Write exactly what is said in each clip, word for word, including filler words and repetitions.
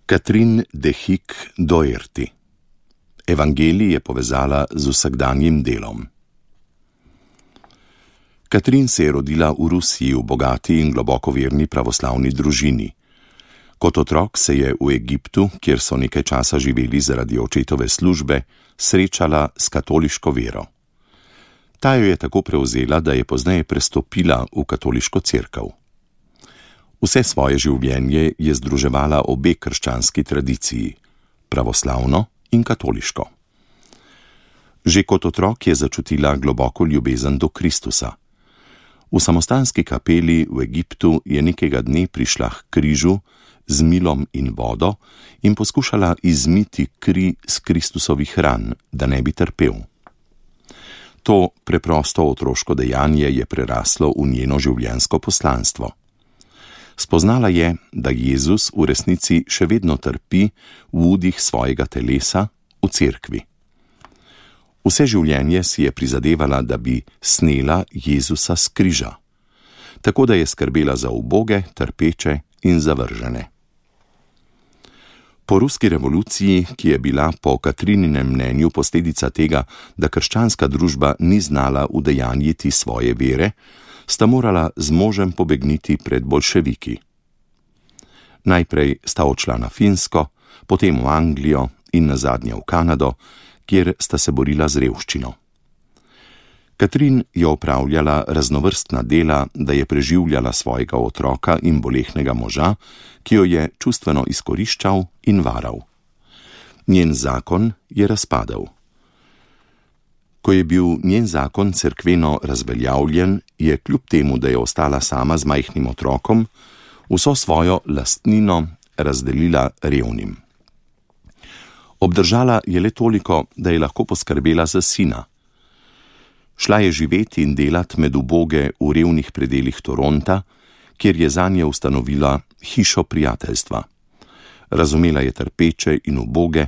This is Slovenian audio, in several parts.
Catherine de Hick Doherty. Evangelij je povezala z vsakdanjim delom. Catherine se je rodila v Rusiji v bogati in globoko verni pravoslavni družini. Kot otrok se je v Egiptu, kjer so nekaj časa živeli zaradi očetove službe, srečala s katoliško vero. Ta jo je tako prevzela, da je pozneje prestopila v katoliško cerkev. Vse svoje življenje je združevala obe krščanski tradiciji, pravoslavno in katoliško. Že kot otrok je začutila globoko ljubezen do Kristusa. V samostanski kapeli v Egiptu je nekega dne prišla k križu z milom in vodo in poskušala izmiti kri z Kristusovih ran, da ne bi trpel. To preprosto otroško dejanje je preraslo v njeno življenjsko poslanstvo. Spoznala je, da Jezus v resnici še vedno trpi v udih svojega telesa v cerkvi. Vse življenje si je prizadevala, da bi snela Jezusa s križa, tako da je skrbela za uboge, trpeče in zavržene. Po ruski revoluciji, ki je bila po Katrininem mnenju posledica tega, da krščanska družba ni znala udejanjiti svoje vere, sta morala z možem pobegniti pred boljševiki. Najprej sta odšla na Finsko, potem v Anglijo in nazadnje v Kanado, kjer sta se borila z revščino. Catherine je opravljala raznovrstna dela, da je preživljala svojega otroka in bolehnega moža, ki jo je čustveno izkoriščal in varal. Njen zakon je razpadel. Ko je bil njen zakon cerkveno razveljavljen, je kljub temu, da je ostala sama z majhnim otrokom, vso svojo lastnino razdelila revnim. Obdržala je le toliko, da je lahko poskrbela za sina. Šla je živeti in delat med uboge v revnih predelih Toronta, kjer je zanje ustanovila hišo prijateljstva. Razumela je trpeče in uboge,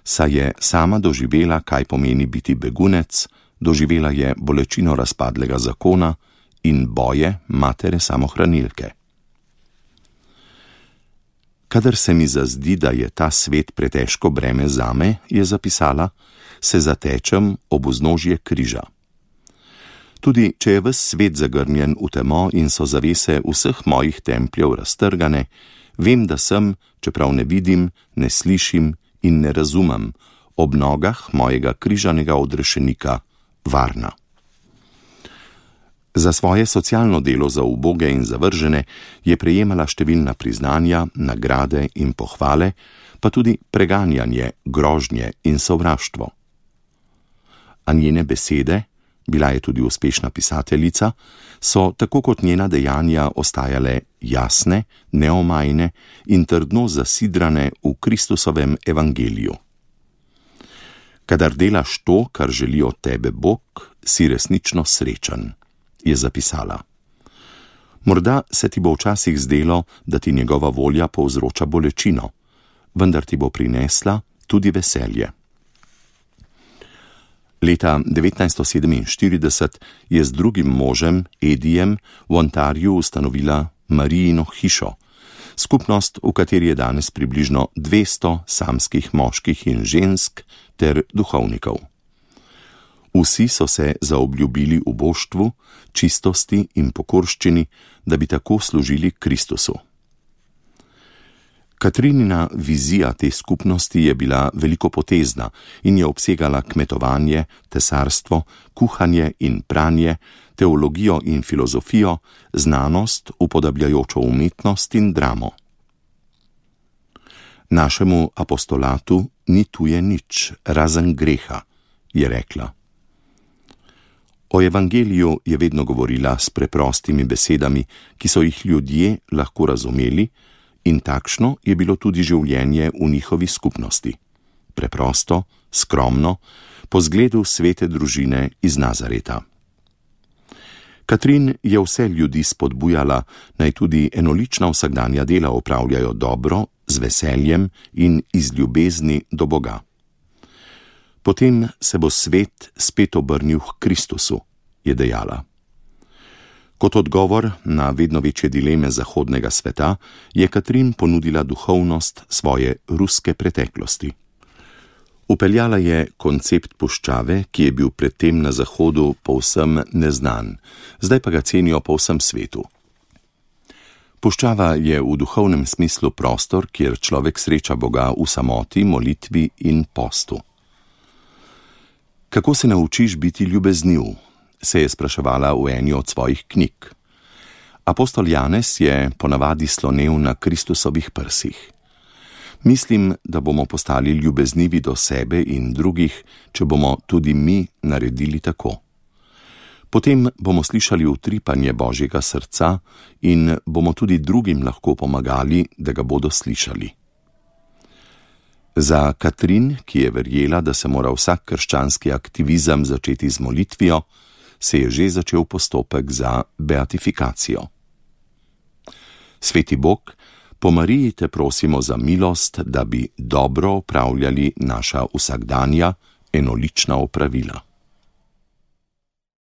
saj je sama doživela, kaj pomeni biti begunec, doživela je bolečino razpadlega zakona in boje matere samohranilke. Kadar se mi zazdi, da je ta svet pretežko breme zame, je zapisala, se zatečem ob vznožje križa. Tudi če je ves svet zagrnjen v temo in so zavese vseh mojih templjev raztrgane, vem, da sem, čeprav ne vidim, ne slišim in ne razumem, ob nogah mojega križanega odrešenika varna. Za svoje socialno delo za uboge in zavržene je prejemala številna priznanja, nagrade in pohvale, pa tudi preganjanje, grožnje in sovraštvo. A njene besede, bila je tudi uspešna pisateljica, so tako kot njena dejanja ostajale jasne, neomajne in trdno zasidrane v Kristusovem evangeliju. Kadar delaš to, kar želi od tebe Bog, si resnično srečen, je zapisala. Morda se ti bo včasih zdelo, da ti njegova volja povzroča bolečino, vendar ti bo prinesla tudi veselje. Leta devetnajststo sedeminštirideset je z drugim možem, Edijem, v Ontariju ustanovila Marijino hišo, skupnost, v kateri je danes približno dvesto samskih moških in žensk ter duhovnikov. Vsi so se zaobljubili v boštvu, čistosti in pokorščini, da bi tako služili Kristusu. Katrinina vizija te skupnosti je bila velikopotezna in je obsegala kmetovanje, tesarstvo, kuhanje in pranje, teologijo in filozofijo, znanost, upodabljajočo umetnost in dramo. Našemu apostolatu ni tuje nič, razen greha, je rekla. O evangeliju je vedno govorila s preprostimi besedami, ki so jih ljudje lahko razumeli, in takšno je bilo tudi življenje v njihovi skupnosti. Preprosto, skromno, po zgledu svete družine iz Nazareta. Catherine je vse ljudi spodbujala, naj tudi enolična vsakdanja dela opravljajo dobro, z veseljem in iz ljubezni do Boga. Potem se bo svet spet obrnil k Kristusu, je dejala. Kot odgovor na vedno večje dileme zahodnega sveta je Katrin ponudila duhovnost svoje ruske preteklosti. Upeljala je koncept puščave, ki je bil predtem na Zahodu povsem neznan, zdaj pa ga cenijo po vsem svetu. Puščava je v duhovnem smislu prostor, kjer človek sreča Boga v samoti, molitvi in postu. Kako se naučiš biti ljubezniv? Se je spraševala v eni od svojih knjig. Apostol Janez je ponavadi slonel na Kristusovih prsih. Mislim, da bomo postali ljubeznivi do sebe in drugih, če bomo tudi mi naredili tako. Potem bomo slišali utripanje Božjega srca in bomo tudi drugim lahko pomagali, da ga bodo slišali. Za Katrin, ki je verjela, da se mora vsak krščanski aktivizem začeti z molitvijo, se je že začel postopek za beatifikacijo. Sveti Bog, po Mariji te prosimo za milost, da bi dobro opravljali naša vsakdanja enolična opravila.